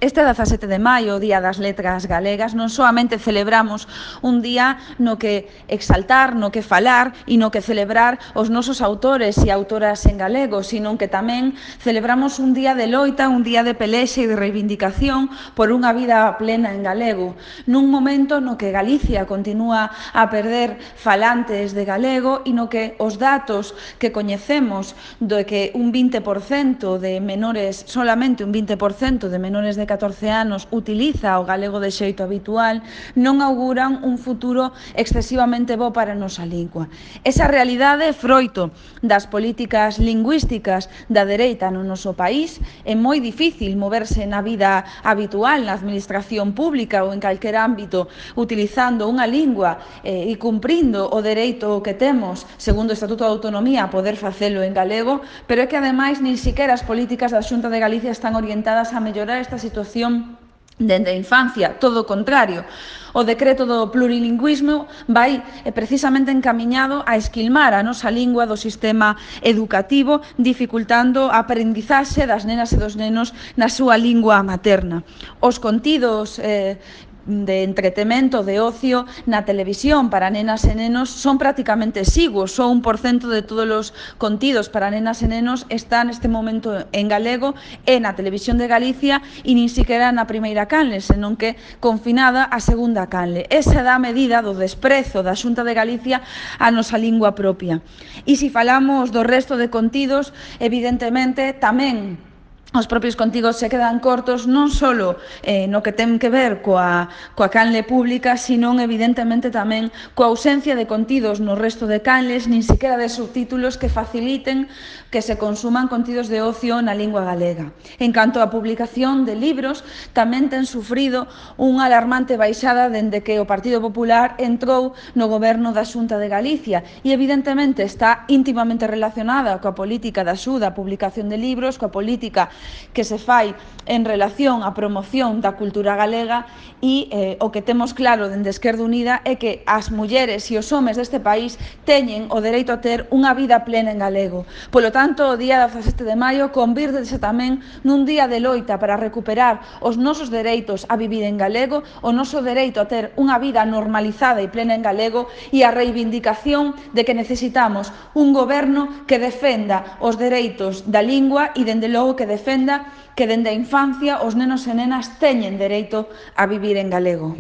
Este 17 de maio, o Día das Letras Galegas, non soamente celebramos un día no que exaltar, no que falar e no que celebrar os nosos autores e autoras en galego, sino que tamén celebramos un día de loita, un día de pelexa e de reivindicación por unha vida plena en galego, nun momento no que Galicia continúa a perder falantes de galego e no que os datos que coñecemos do que un 20% de menores, solamente un 20% de menores de 14 anos utiliza o galego de xeito habitual, non auguran un futuro excesivamente bo para a nosa lingua. Esa realidade é froito das políticas lingüísticas da dereita no noso país. É moi difícil moverse na vida habitual, na administración pública ou en calquer ámbito, utilizando unha lingua e cumprindo o dereito que temos, segundo o Estatuto de Autonomía, a poder facelo en galego, pero é que, ademais, nin siquiera as políticas da Xunta de Galicia están orientadas a mellorar esta situación dende a infancia, todo o contrario. O decreto do plurilingüismo vai precisamente encaminhado a esquilmar a nosa lingua do sistema educativo, dificultando a aprendizaxe das nenas e dos nenos na súa lingua materna. Os contidos de entretemento, de ocio na televisión para nenas e nenos son prácticamente exiguos. Só 1% de todos os contidos para nenas e nenos está neste momento en galego e na televisión de Galicia e nin siquiera na primeira canle, senón que confinada a segunda canle. Esa dá a medida do desprezo da Xunta de Galicia á nosa lingua propia. E se falamos do resto de contidos, evidentemente tamén os propios contidos se quedan cortos non só no que ten que ver coa canle pública, sino evidentemente tamén coa ausencia de contidos no resto de canles, nin sequera de subtítulos que faciliten que se consuman contidos de ocio na lingua galega. En canto á publicación de libros, tamén ten sufrido unha alarmante baixada dende que o Partido Popular entrou no goberno da Xunta de Galicia e evidentemente está íntimamente relacionada coa política da axuda á publicación de libros, coa política que se fai en relación á promoción da cultura galega e o que temos claro dende Esquerda Unida é que as mulleres e os homes deste país teñen o dereito a ter unha vida plena en galego. Polo tanto, o día 17 de maio convírtese tamén nun día de loita para recuperar os nosos dereitos a vivir en galego, o noso dereito a ter unha vida normalizada e plena en galego e a reivindicación de que necesitamos un goberno que defenda os dereitos da lingua e, dende logo, que defenda que dende a infancia os nenos e nenas teñen dereito a vivir en galego.